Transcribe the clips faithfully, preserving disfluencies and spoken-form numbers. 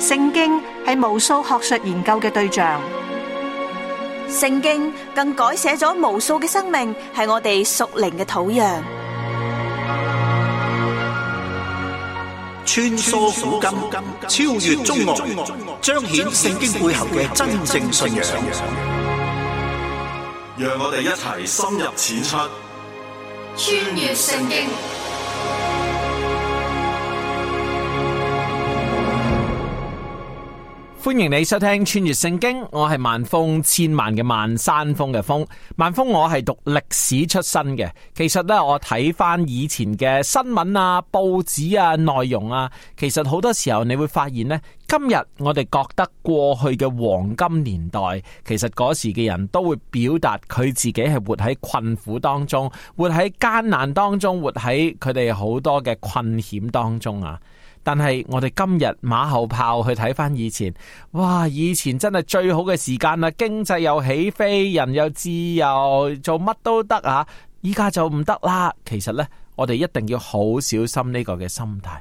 聖經係無數學術研究嘅對象，聖經更改寫咗無數嘅生命，係我哋屬靈嘅土壤。穿梭古今，超越中外，彰顯聖經背後嘅真正信仰。讓我哋一齊深入淺出，穿越聖經。歡迎你收聽穿越聖經，我係萬峰，千萬嘅萬，山峰嘅峰。萬峰，我係讀歷史出身嘅。其實咧，我睇翻以前嘅新聞啊、報紙啊、內容啊，其實好多時候你會發現呢，今日我哋覺得過去嘅黃金年代，其實嗰時嘅人都會表達佢自己係活喺困苦當中，活喺艱難當中，活喺佢哋好多嘅困險當中啊。但係我哋今日馬後炮去睇翻以前，哇！以前真係最好嘅時間啦，經濟又起飛，人又自由，做乜都得啊！依家就唔得啦。其實呢，我哋一定要好小心呢個嘅心態，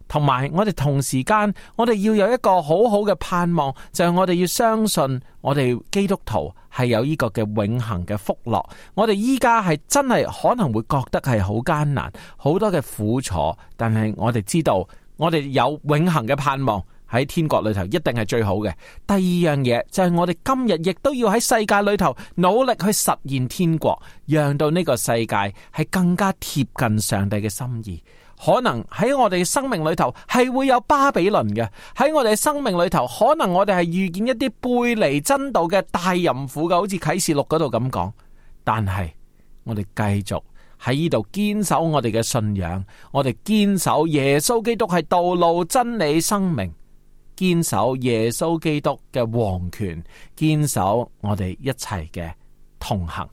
同埋我哋同時間，我哋要有一個好好嘅盼望，就係我哋要相信我哋基督徒係有呢個嘅永恆嘅福樂。我哋依家係真係可能會覺得係好艱難，好多嘅苦楚，但係我哋知道。我哋有永恆嘅盼望喺天國裏頭，一定係最好嘅。第二樣嘢就係我哋今日亦都要喺世界裏頭努力去實現天國，讓到呢個世界係更加貼近上帝嘅心意。可能喺我哋嘅生命裏頭係會有巴比倫嘅，喺我哋嘅生命裏頭，可能我哋係遇見一啲背離真道嘅大淫婦嘅，好似啟示錄嗰度咁講。但係我哋繼續喺呢度堅守我哋嘅信仰，我哋堅守耶穌基督係道路、真理、生命，堅守耶穌基督嘅王權，堅守我哋一齊嘅同行。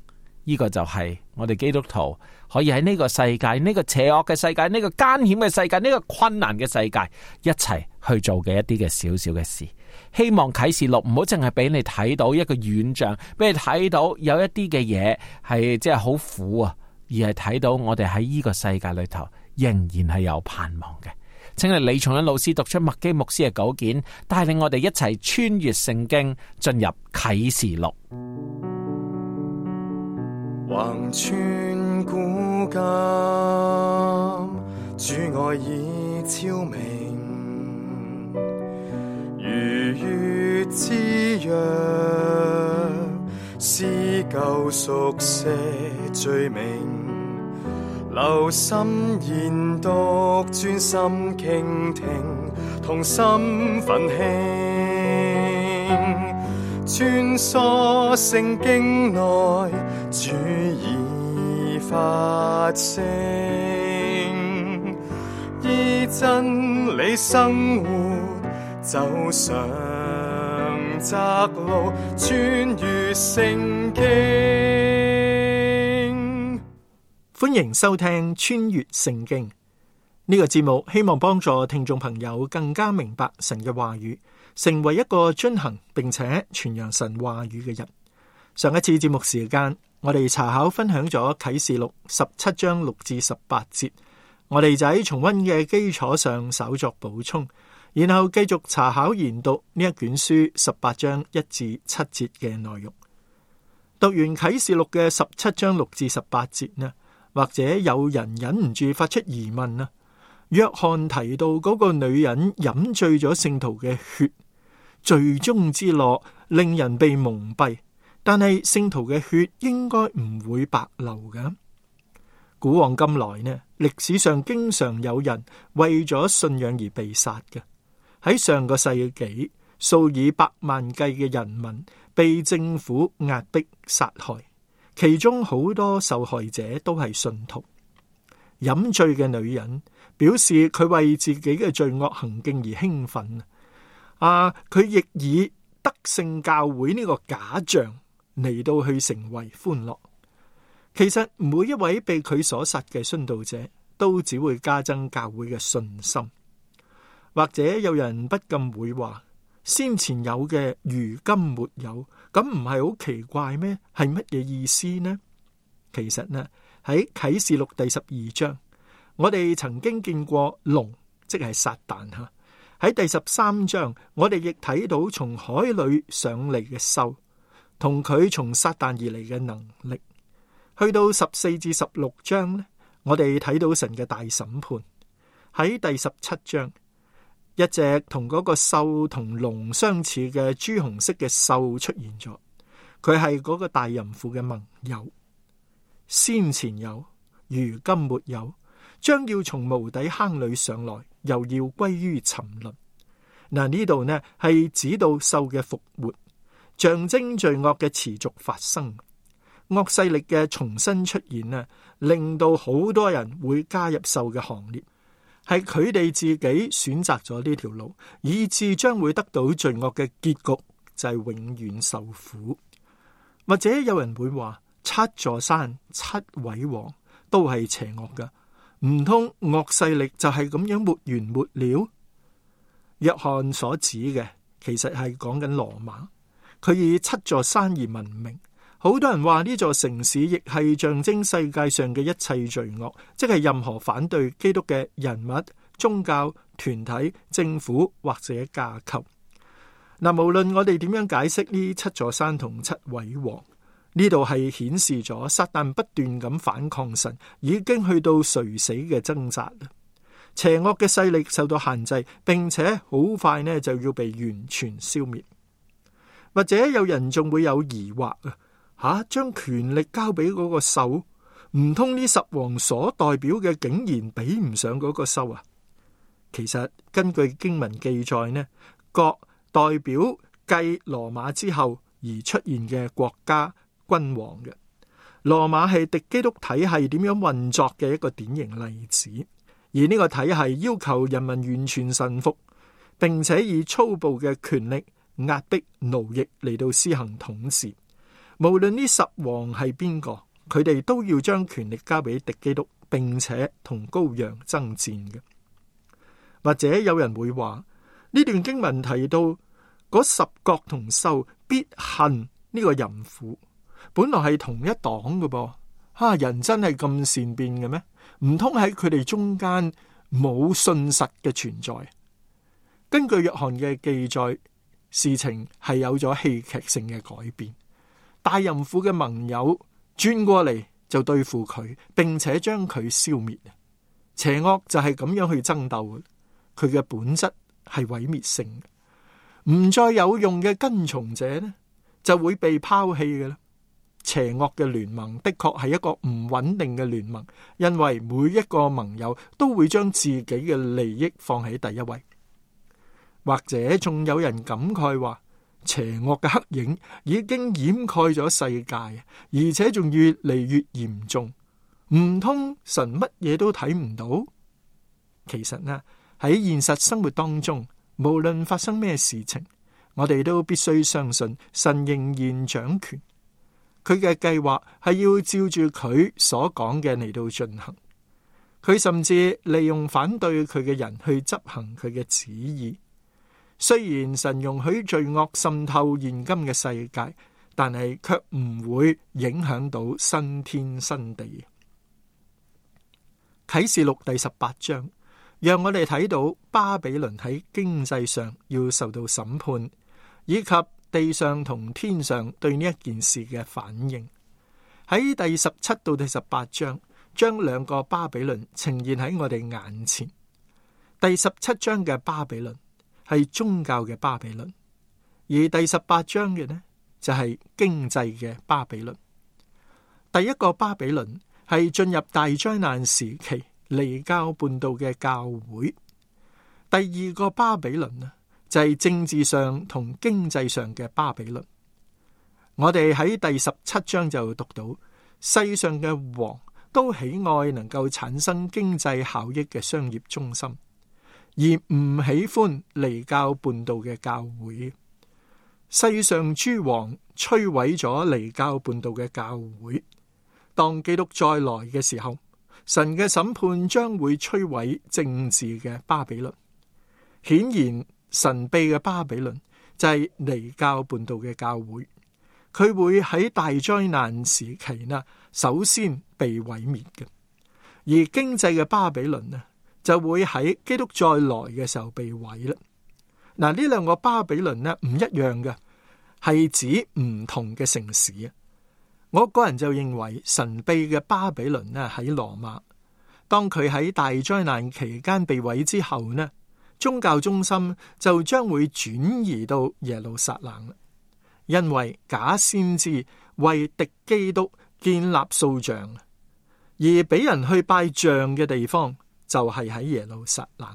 呢個就係我哋基督徒可以喺呢個世界、呢個邪惡嘅世界、呢個艱險嘅世界、呢個困難嘅世界一齊去做嘅一啲嘅小小嘅事。希望啟示錄唔好淨係俾你睇到一個遠象，俾你睇到有一啲嘅嘢係即係好苦啊，而係睇到我哋喺呢個世界裏頭仍然係有盼望嘅。請嚟李松恩老師讀出麥基牧師嘅稿件，帶領我哋一齊穿越聖經，進入啟示錄。橫穿古今，主愛已昭明，如月之約，撕舊熟寫罪名，留心研讀，專心傾聽，同心奮興，穿梭聖經內，主已發聲，依真理生活，走上窄路，穿越聖經。歡迎收聽穿越聖經呢個節目，希望幫助聽眾朋友更加明白神嘅話語，成為一個遵行並且傳揚神話語嘅人。上一次節目時間，我哋查考分享咗啟示錄十七章六至十八節，我哋就喺重溫嘅基礎上稍作補充，然後繼續查考研讀呢一卷書十八章一至七節嘅內容。讀完啟示錄嘅十七章六至十八節呢，或者有人忍唔住發出疑問啊，約翰提到嗰個女人飲醉咗聖徒嘅血，罪中之樂令人被蒙蔽，但係聖徒嘅血應該唔會白流㗎。古往今來呢，歷史上經常有人為咗信仰而被殺嘅。喺上個世紀，數以百萬計嘅人民被政府壓迫殺害，其中好多受害者都係信徒。飲醉嘅女人表示佢為自己嘅罪惡行徑而興奮啊！佢亦以得勝教會呢個假象嚟到去成為歡樂。其實每一位被佢所殺嘅殉道者都只會加增教會嘅信心。或者有人不禁會話，先前有嘅如今沒有，咁唔係好奇怪咩？係乜嘢意思呢？其實呢，喺啟示錄第十二章，我哋曾經見過龍，即係撒旦吓，喺第十三章，我哋亦睇到從海裏上嚟嘅獸，同佢從撒旦而嚟嘅能力。去到十四至十六章呢，我哋睇到神嘅大審判。喺第十七章，一隻同嗰個獸同龍相似嘅朱紅色嘅獸出現咗，佢係嗰個大淫婦嘅盟友，先前有，如今沒有，將要從無底坑裏上來，又要歸於沉淪。嗱，呢度呢係指到獸嘅復活，象徵罪惡嘅持續發生，惡勢力嘅重新出現呢，令到好多人會加入獸嘅行列，係佢哋自己選擇咗呢條路，以致將會得到罪惡嘅結局，就係永遠受苦。或者有人會話，七座山七位王都係邪惡噶，唔通惡勢力就係咁樣沒完沒了？約翰所指嘅其實係講緊羅馬，佢以七座山而聞名。好多人話呢座城市亦係象徵世界上嘅一切罪惡，即係任何反對基督嘅人物、宗教、團體、政府或者架構。嗱，無論我哋點樣解釋呢七座山同七位王，呢度係顯示咗撒旦不斷咁反抗神，已經去到垂死嘅掙扎。邪惡嘅勢力受到限制，並且好快呢就要被完全消滅。或者有人仲會有疑惑啊，吓，將權力交俾嗰個獸，唔通呢十王所代表嘅竟然比唔上嗰個獸啊？其實根據經文記載呢，各代表繼羅馬之後而出現嘅國家君王嘅。羅馬係敵基督體系點樣運作嘅一個典型例子。而呢個體系要求人民完全臣服，並且以粗暴嘅權力壓迫奴役嚟到施行統治。無論呢十王係邊個，佢哋都要將權力交俾敵基督，並且同羔羊爭戰嘅。或者有人會話，呢段經文提到嗰十國同獸必恨呢個淫婦，本來係同一黨嘅噃。啊！人真係咁善變嘅咩？唔通喺佢哋中間冇信實嘅存在？根據約翰嘅記載，事情係有咗戲劇性嘅改變。大淫婦嘅盟友轉過嚟就對付佢，並且將佢消滅。邪惡就係咁樣去爭鬥，佢嘅本質係毀滅性嘅，唔再有用嘅跟從者呢，就會被拋棄嘅啦。邪惡嘅聯盟的確係一個唔穩定嘅聯盟，因為每一個盟友都會將自己嘅利益放喺第一位。或者仲有人感慨話，邪惡嘅黑影已經掩蓋咗世界，而且仲越嚟越嚴重。唔通神乜嘢都睇唔到？其實呢，喺現實生活當中，無論發生咩事情，我哋都必須相信神仍然掌權。佢嘅計劃係要照住佢所講嘅嚟到進行，佢甚至利用反對佢嘅人去執行佢嘅旨意。雖然神容許罪惡滲透現今嘅世界，但係卻唔會影響到新天新地。啟示錄第十八章讓我哋睇到巴比倫喺經濟上要受到審判，以及地上同天上對呢一件事嘅反應。喺第十七到第十八章，將兩個巴比倫呈現喺我哋眼前。第十七章嘅巴比倫係宗教嘅巴比倫，而第十八章嘅呢就係經濟嘅巴比倫。第一個巴比倫係進入大災難時期離教叛道嘅教會。第二個巴比倫呢，就係政治上同經濟上嘅巴比倫。我哋喺第十七章就讀到，世上嘅王都喜愛能夠產生經濟效益嘅商業中心，而唔喜歡離教叛道嘅教會。世上諸王摧毀咗離教叛道嘅教會。當基督再來嘅時候，神嘅審判將會摧毀政治嘅巴比倫。顯然神秘嘅巴比倫就係離教叛道嘅教會，佢會喺大災難時期呢，首先被毀滅嘅。而經濟嘅巴比倫呢，就會喺基督再來嘅時候被毀啦。嗱，呢兩個巴比倫呢唔一樣嘅，係指唔同嘅城市啊。我個人就認為神秘嘅巴比倫呢喺羅馬，當佢喺大災難期間被毀之後呢，宗教中心就將會轉移到耶路撒冷，因為假先知為敵基督建立塑像，而俾人去拜像嘅地方就係喺耶路撒冷。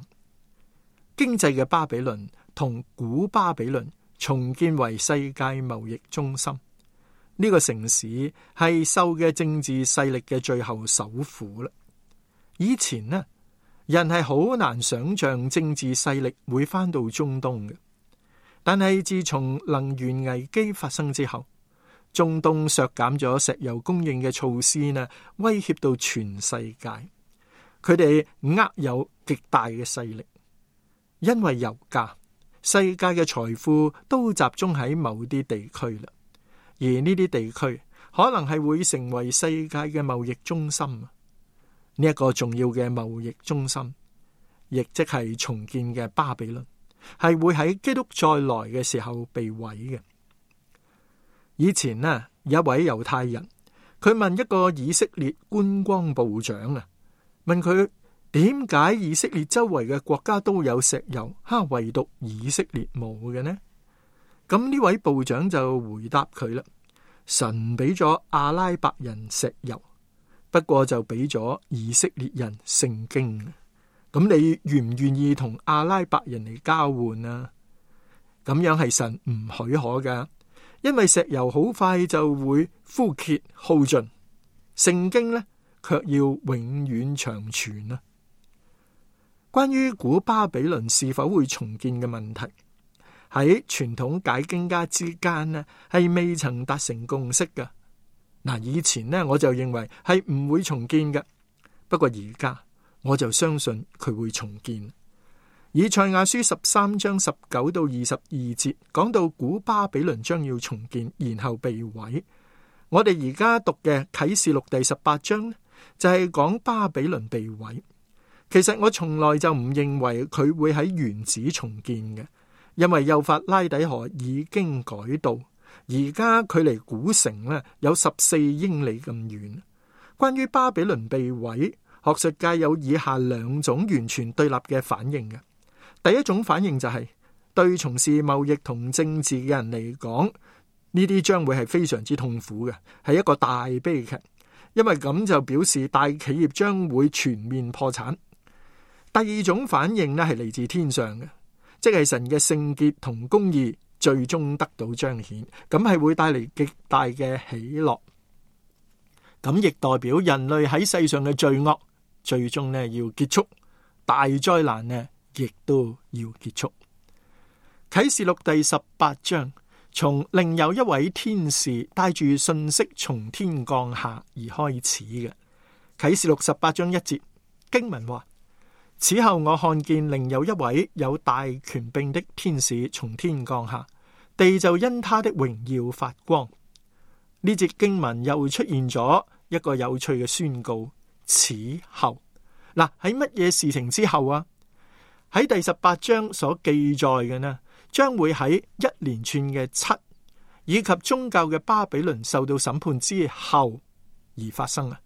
經濟嘅巴比倫同古巴比倫重建為世界貿易中心，呢個城市係受嘅政治勢力嘅最後首府啦。以前呢，人係好難想象政治勢力會翻到中東嘅，但係自從能源危機發生之後，中東削減咗石油供應嘅措施呢，威脅到全世界，佢哋握有極大嘅勢力，因為油價，世界嘅財富都集中喺某啲地區啦。而呢啲地區可能係會成為世界嘅貿易中心，呢、這、一個重要嘅貿易中心，亦即係重建嘅巴比倫，係會喺基督再來嘅時候被毀嘅。以前呢，有一位猶太人，佢問一個以色列觀光部長啊，問佢點解以色列周圍嘅國家都有石油，哈，唯獨以色列冇嘅呢？咁呢位部長就回答佢啦，神俾咗阿拉伯人石油，不過就俾咗以色列人聖經。咁你願唔願意同阿拉伯人嚟交換啊？咁樣係神唔許可噶，因為石油好快就會枯竭耗盡，聖經呢卻要永遠長存啊。關於古巴比倫是否會重建嘅問題，喺傳統解經家之間呢，係未曾達成共識嘅。嗱，以前呢，我就認為係唔會重建嘅，不過而家我就相信佢會重建。以賽亞書十三章十九到二十二節講到古巴比倫將要重建，然後被毀。我哋而家讀嘅啟示錄第十八章呢，就係講巴比倫被毀。其實我從來就唔認為佢會喺原址重建嘅。因為幼發拉底河已經改道，而家距離古城呢有十四英里咁遠。關於巴比倫被毀，學術界有以下兩種完全對立嘅反應嘅。第一種反應就係、是、對從事貿易同政治嘅人嚟講，呢啲將會係非常之痛苦嘅，係一個大悲劇，因為咁就表示大企業將會全面破產。第二種反應呢係嚟自天上嘅。即係神嘅聖潔同公義最終得到彰顯，咁係會帶嚟極大嘅喜樂。咁亦代表人類喺世上嘅罪惡最終呢要結束，大災難呢亦都要結束。啟示錄第十八章從另有一位天使帶住信息從天降下而開始嘅。啟示錄十八章一節經文話：此後我看見另有一位有大權柄的天使從天降下，地就因他的榮耀發光。呢節經文又出現咗一個有趣嘅宣告：此後嗱，喺乜嘢事情之後啊？喺第十八章所記載嘅呢，將會喺一連串嘅七以及宗教嘅巴比倫受到審判之後而發生啊！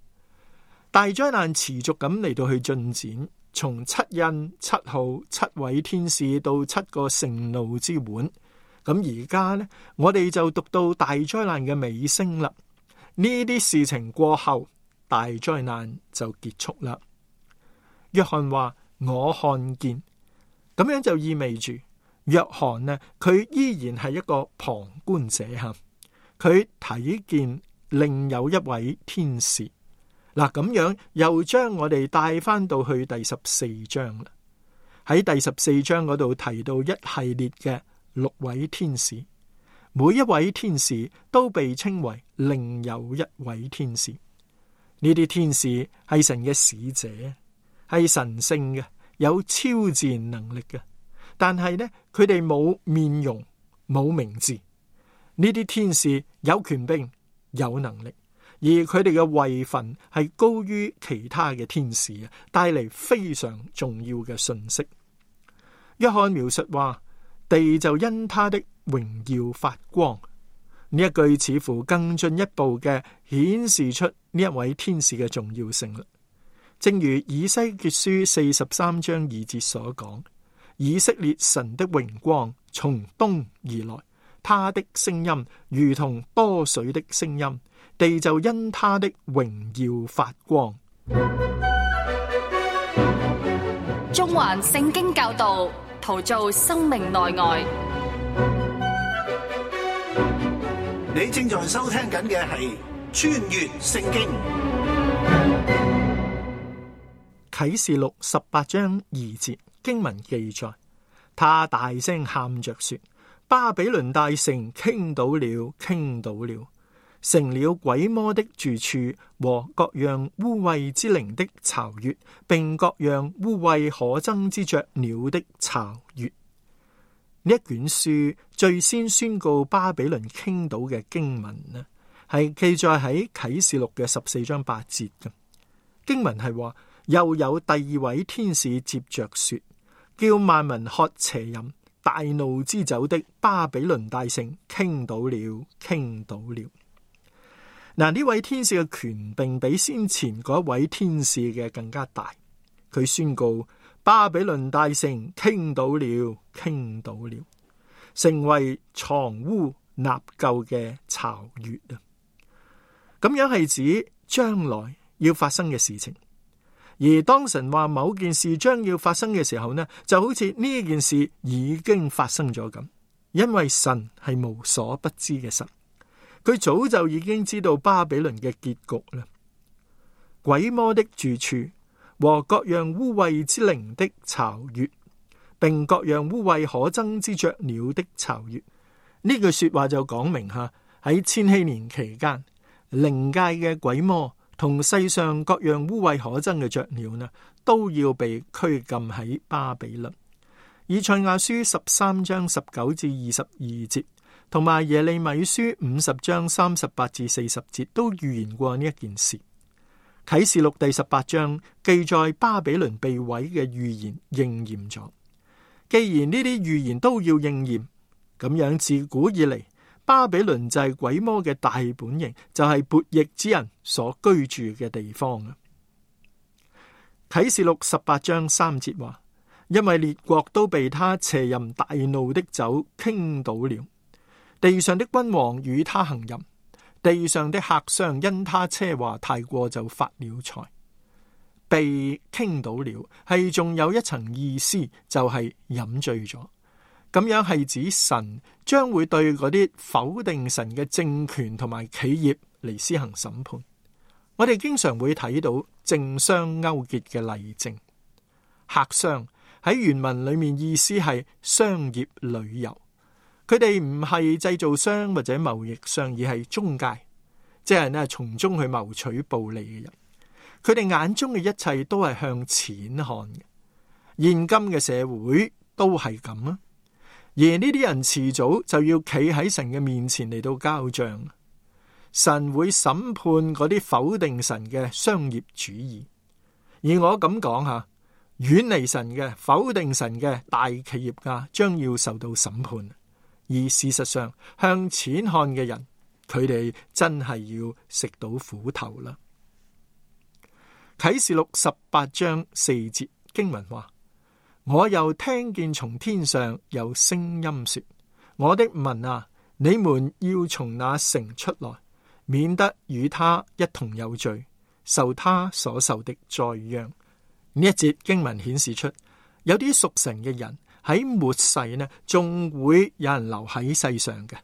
大災難持續咁嚟到去進展。從七印、七號、七位天使到七個盛怒之碗，咁而家呢，我哋就讀到大災難嘅尾聲啦。呢啲事情過後，大災難就結束啦。約翰話：我看見，咁樣就意味住約翰呢，佢依然係一個旁觀者吓，佢睇見另有一位天使。嗱，咁樣又將我哋帶翻到去第十四章啦。喺第十四章嗰度提到一系列嘅六位天使，每一位天使都被稱為另有一位天使。呢啲天使係神嘅使者，係神聖嘅，有超自然能力嘅，但係呢，佢哋冇面容，冇名字。呢啲天使有權柄，有能力。而佢哋嘅位份係高於其他嘅天使啊，帶嚟非常重要嘅信息。約翰描述話，地就因他的榮耀發光。呢一句似乎更進一步嘅顯示出呢一位天使嘅重要性啦。正如以西結書四十三章二節所講，以色列神的榮光從東而來，他的聲音如同多水的聲音，地就因他的榮耀發光。中環聖經教導，陶造生命內外。你正在收聽緊嘅係穿越聖經。啟示錄十八章二節經文記載，他大聲喊着說，巴比倫大城傾倒了，傾倒了，成了鬼魔的住處和各樣污穢之靈的巢穴，並各樣污穢可憎之雀鳥的巢穴。呢一卷書最先宣告巴比倫傾倒嘅經文呢，係記載喺啟示錄嘅十四章八節嘅經文，係話又有第二位天使接着說，叫萬民喝邪淫大怒之酒的巴比倫大城傾倒了，傾倒了。嗱，呢位天使嘅權柄比先前嗰位天使嘅更加大，佢宣告巴比倫大城傾倒了，傾倒了，成為藏污納垢嘅巢穴啊！咁樣係指將來要發生嘅事情。而當神話某件事將要發生嘅時候呢，就好似呢件事已經發生咗咁，因為神係無所不知嘅神，佢早就已經知道巴比倫嘅結局啦。鬼魔的住處和各樣污穢之靈的巢穴，並各樣污穢可憎之雀鳥的巢穴。呢句說話就講明吓，喺千禧年期間，靈界嘅鬼魔同世上各樣污穢可憎嘅雀鳥呢，都要被拘禁喺巴比倫。以賽亞書十三章十九至二十二節，同埋耶利米書五十章三十八至四十節都預言過呢一件事。啟示錄第十八章記載巴比倫被毀嘅預言應驗咗。既然呢啲預言都要應驗，咁樣自古以嚟，巴比倫就係鬼魔嘅大本營，就係悖逆之人所居住嘅地方啊。啟示錄十八章三節話，因為列國都被他邪淫大怒的酒傾倒了，地上的君王與他行淫，地上的客商因他奢華太過就發了財。被傾倒了係仲有一層意思，就係飲醉咗。咁樣係指神將會對嗰啲否定神嘅政權同埋企業嚟施行審判。我哋經常會睇到政商勾結嘅例證。客商喺原文裏面意思係商業旅遊，佢哋唔係製造商或者貿易商，而係中介，即係呢從中去謀取暴利嘅人。佢哋眼中嘅一切都係向錢看嘅。現今嘅社會都係咁啊。而呢啲人遲早就要企喺神嘅面前嚟到交賬，神會審判嗰啲否定神嘅商業主義。而我咁講吓，遠離神嘅、否定神嘅大企業家將要受到審判。而事實上，向錢看嘅人，佢哋真係要食到苦頭啦。啟示錄十八章四節經文話，我又聽見從天上有聲音說，我的民啊，你們要從那城出來，免得與他一同有罪，受他所受的災殃。呢一節經文顯示出，有啲屬神嘅人喺末世呢，仲會有人留喺世上嘅。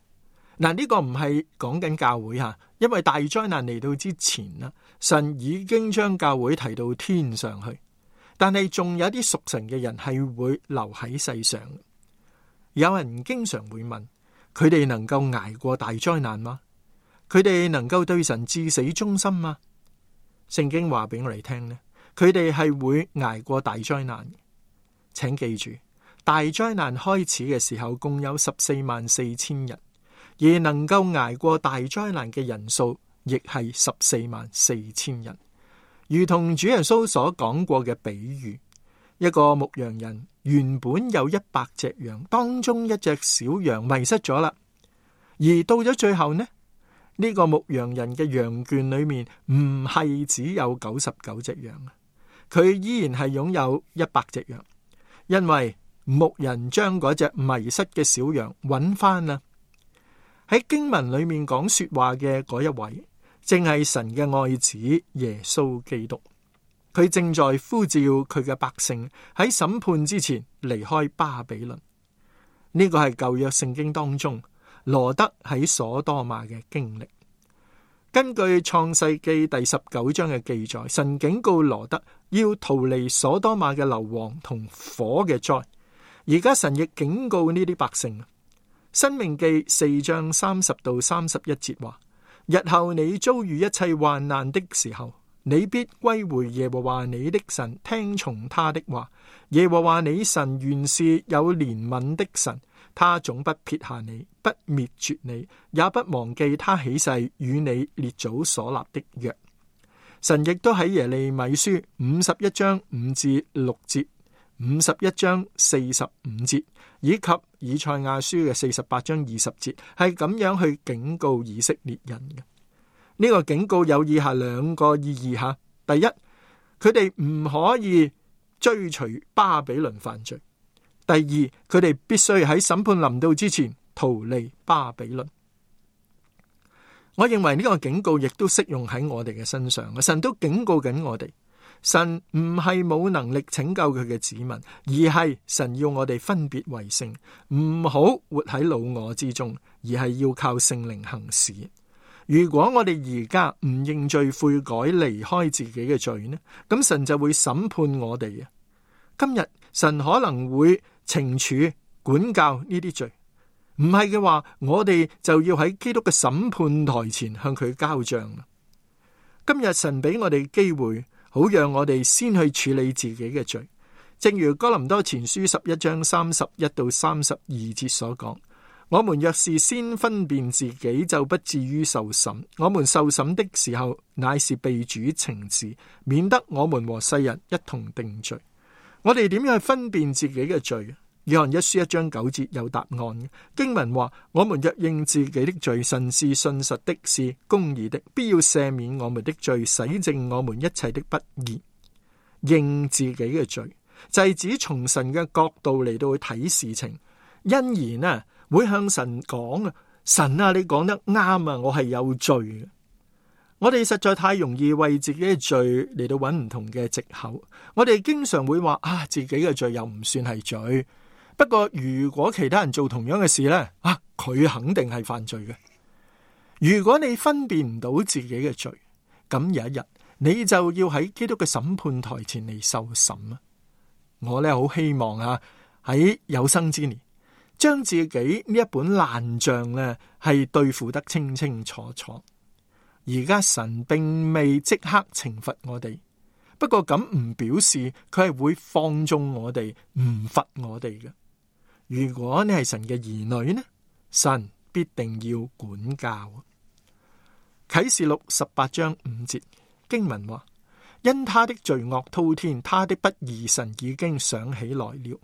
嗱，呢個唔係講緊教會吓，因為大災難嚟到之前啦，神已經將教會提到天上去。但係仲有啲屬神嘅人係會留喺世上。有人經常會問，佢哋能夠捱過大災難嗎？佢哋能夠對神至死忠心嗎？聖經話俾我哋聽呢，佢哋係會捱過大災難。請記住，大災難開始嘅時候共有十四萬四千人，而能夠捱過大災難嘅人數亦係十四萬四千人。如同主耶穌所講過嘅比喻，一個牧羊人原本有一百隻羊，當中一隻小羊迷失咗啦。而到咗最後呢，呢個牧羊人嘅羊圈裏面唔係只有九十九隻羊，佢依然係擁有一百隻羊，因為牧人將嗰隻迷失嘅小羊揾翻啦。喺經文裏面講說話嘅嗰一位，正係神嘅愛子耶穌基督。佢正在呼召佢嘅百姓喺審判之前離開巴比倫。呢個係舊約聖經當中羅得喺所多瑪嘅經歷。根據創世記第十九章嘅記載，神警告羅得要逃離所多瑪嘅硫磺同火嘅災。而家神亦警告呢啲百姓。申命記四章三十到三十一節話：日後你遭遇一切患難的時候，你必歸回耶和華你的神，聽從他的話。耶和華你神原是有憐憫的神，他總不撇下你，不滅絕你，也不忘記他起誓與你列祖所立的約。神亦都喺耶利米書五十一章五至六節、五十一章四十五節以及以賽亞書嘅四十八章二十節，係咁樣去警告以色列人嘅。呢個警告有以下兩個意義吓：第一，佢哋唔可以追隨巴比倫犯罪；第二，佢哋必須喺審判臨到之前逃離巴比倫。我認為呢個警告亦都適用喺我哋嘅身上，神都警告緊我哋。神唔係冇能力拯救佢嘅子民，而係神要我哋分別為聖，唔好活喺老我之中，而係要靠聖靈行事。如果我哋而家唔認罪悔改，離開自己嘅罪呢，咁神就會審判我哋啊！今日神可能會懲處管教呢啲罪，唔係嘅話，我哋就要喺基督嘅審判台前向佢交賬啦。今日神俾我哋機會，好讓我哋先去處理自己嘅罪，正如哥林多前書十一章三十一到三十二節所講：我們若是先分辨自己，就不至於受審。我們受審的時候，乃是被主懲治，免得我們和世人一同定罪。我哋點樣去分辨自己嘅罪？約翰一書一章九節有答案。經文話：我們若認自己的罪，神是信實的，是公義的，必要赦免我們的罪，洗淨我們一切的不義。認自己嘅罪，就係指從神嘅角度嚟到去睇事情，因而呢會向神講啊，神啊，你講得啱啊，我係有罪嘅。我哋實在太容易為自己嘅罪嚟到揾唔同嘅藉口。我哋經常會話啊，自己嘅罪又唔算係罪。不過如果其他人做同樣嘅事呢，啊，佢肯定係犯罪嘅。如果你分辨唔到自己嘅罪，咁有一日你就要喺基督嘅審判台前嚟受審啊！我呢好希望啊，喺有生之年，將自己呢一本爛賬呢係對付得清清楚楚。而家神並未即刻懲罰我哋，不過咁唔表示佢係會放縱我哋，唔罰我哋嘅。如果你係神嘅兒女呢，神必定要管教。啟示錄十八章五節經文話：因他的罪惡滔天，他的不義神已經想起來了。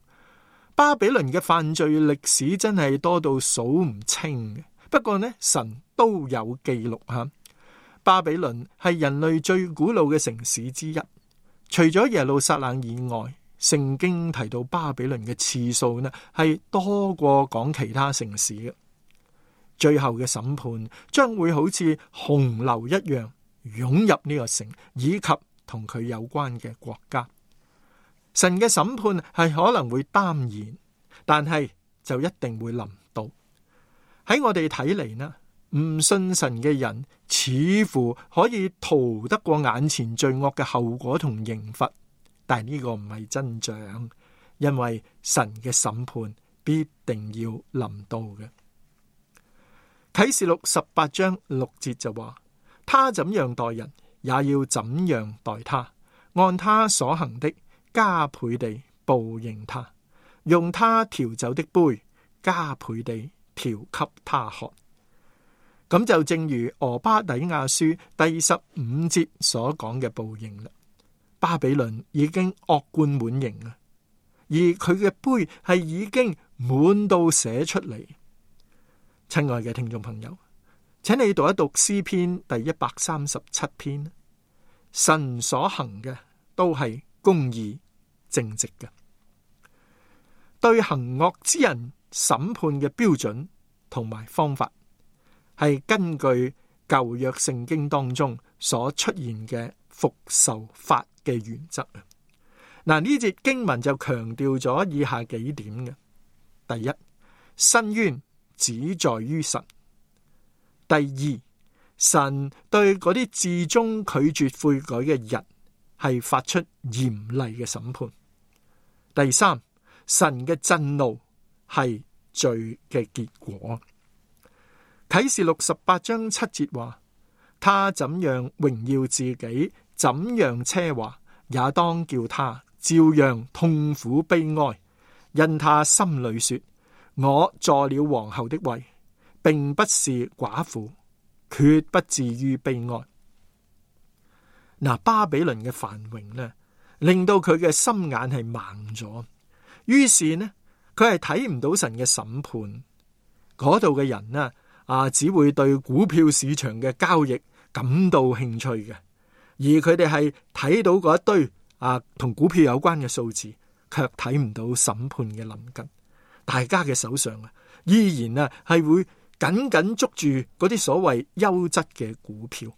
巴比倫嘅犯罪歷史真係多到數唔清嘅，不過呢，神都有記錄吓。巴比倫係人類最古老嘅城市之一，除咗耶路撒冷以外，聖經提到巴比倫嘅次數呢係多過講其他城市嘅。最後嘅審判將會好似洪流一樣湧入呢個城，以及同佢有關嘅國家。神嘅審判係可能會耽延，但係就一定會臨到。喺我哋睇嚟呢，唔信神嘅人似乎可以逃得過眼前罪惡嘅後果同刑罰，但係呢個唔係真相，因為神嘅審判必定要臨到嘅。啟示錄十八章六節就話：他怎樣待人，也要怎樣待他，按他所行的加倍地報應他，用他調酒的杯加倍地調給他喝。咁就正如俄巴底亞書第十五節所講嘅報應啦。巴比倫已經惡貫滿盈啦，而佢嘅杯係已經滿到寫出嚟。親愛嘅聽眾朋友，請你讀一讀詩篇第一百三十七篇。神所行嘅都係公義正直嘅，對行惡之人審判嘅標準同埋方法係根據舊約聖經當中所出現嘅復仇法嘅原則啊。嗱，呢節經文就強調咗以下幾點嘅：第一，申冤只在於神；第二，神對嗰啲至終拒絕悔改嘅人係發出嚴厲嘅審判；第三，神嘅震怒係罪嘅結果。啟示錄十八章七節話：他怎樣榮耀自己，怎樣奢華，也當叫他照樣痛苦悲哀，因他心裏說：我坐了皇后的位，並不是寡婦，決不至於悲哀。嗱，巴比倫嘅繁榮呢，令到佢嘅心眼係盲咗，於是呢，佢係睇唔到神嘅審判。嗰度嘅人呢，啊，只會對股票市場嘅交易感到興趣嘅，而佢哋係睇到嗰一堆啊同股票有關嘅數字，卻睇唔到審判嘅臨近。大家嘅手上啊，依然啊係會緊緊捉住嗰啲所謂優質嘅股票。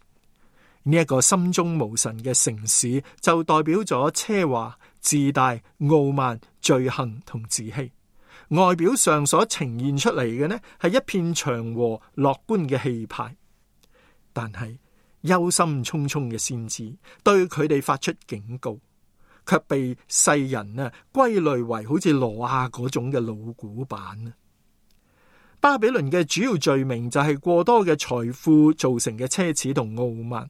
呢一個心中無神嘅城市，就代表咗奢華、自大、傲慢、罪行同自欺。外表上所呈現出嚟嘅呢，係一片祥和樂觀嘅氣派，但係憂心忡忡嘅先知對佢哋發出警告，卻被世人呢歸類為好似挪亞嗰種嘅老古板。巴比倫嘅主要罪名就係過多嘅財富造成嘅奢侈同傲慢，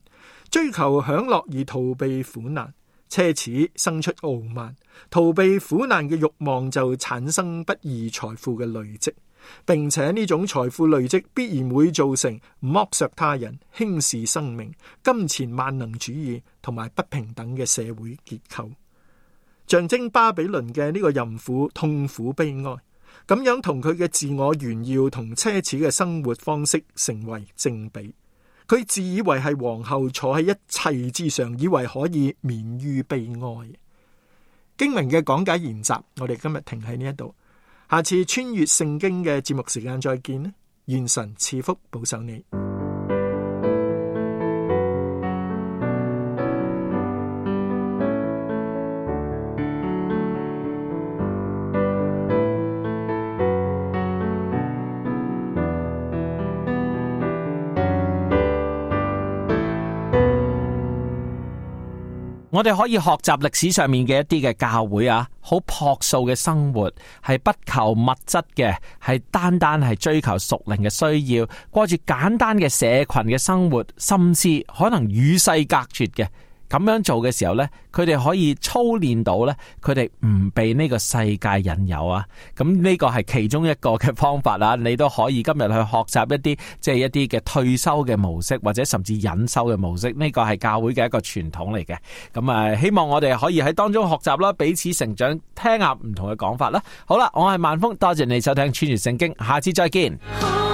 追求享樂而逃避苦難。奢侈生出傲慢，逃避苦難嘅慾望就產生不義財富嘅累積，並且呢種財富累積必然會造成剝削他人、輕視生命、金錢萬能主義同埋不平等嘅社會結構。象徵巴比倫嘅呢個淫婦痛苦悲哀，咁樣同佢嘅自我炫耀同奢侈嘅生活方式成為正比。佢自以為係皇后，坐喺一切之上，以為可以免於悲哀。經文嘅講解研習，我哋今日停喺呢一度，下次穿越聖經嘅節目時間再見啦！願神賜福保守你。我哋可以學習歷史上面嘅一啲嘅教會啊，好樸素嘅生活，係不求物質嘅，係單單係追求屬靈嘅需要，過住簡單嘅社群嘅生活，甚至可能與世隔絕嘅。咁樣做嘅時候呢，佢哋可以操練到呢，佢哋唔被呢個世界引誘啊。咁呢個係其中一個嘅方法啦。你都可以今日去學習一啲即係一啲嘅退休嘅模式，或者甚至隱修嘅模式。呢個係教會嘅一個傳統嚟嘅。咁啊，希望我哋可以喺當中學習啦，彼此成長，聽下唔同嘅講法啦。好啦，我係萬峰，多謝你收聽穿越聖經，下次再見。